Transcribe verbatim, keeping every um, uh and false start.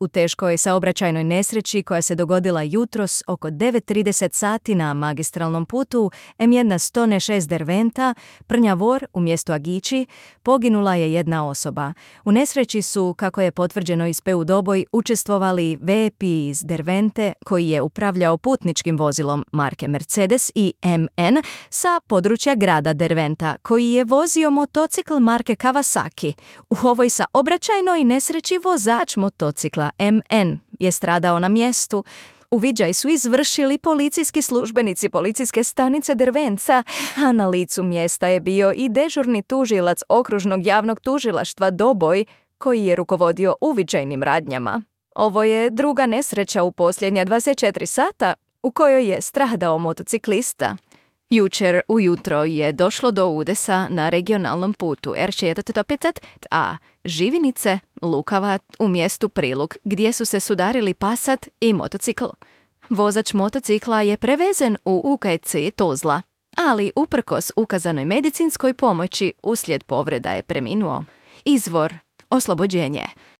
u teškoj saobraćajnoj nesreći koja se dogodila jutros oko devet trideset sati na magistralnom putu em jedna sto šest Derventa, Prnjavor u mjestu Agići, poginula je jedna osoba. U nesreći su, kako je potvrđeno iz P U Doboj, učestvovali V P iz Dervente koji je upravljao putničkim vozilom marke Mercedes i M N sa područja grada Derventa koji je vozio motocikl marke Kawasaki. U ovoj saobraćajnoj nesreći vozač motocikla M N je stradao na mjestu. Uviđaj su izvršili policijski službenici policijske stanice Dervenca, a na licu mjesta je bio i dežurni tužilac okružnog javnog tužilaštva Doboj, koji je rukovodio uviđajnim radnjama. Ovo je druga nesreća u posljednja dvadeset četiri sata u kojoj je stradao motociklista. Jučer ujutro je došlo do udesa na regionalnom putu R četrdeset pet a Živinice, Lukava u mjestu Prilug, gdje su se sudarili Passat i motocikl. Vozač motocikla je prevezen u U K C Tuzla, ali uprkos ukazanoj medicinskoj pomoći uslijed povreda je preminuo. Izvor: oslobođenje.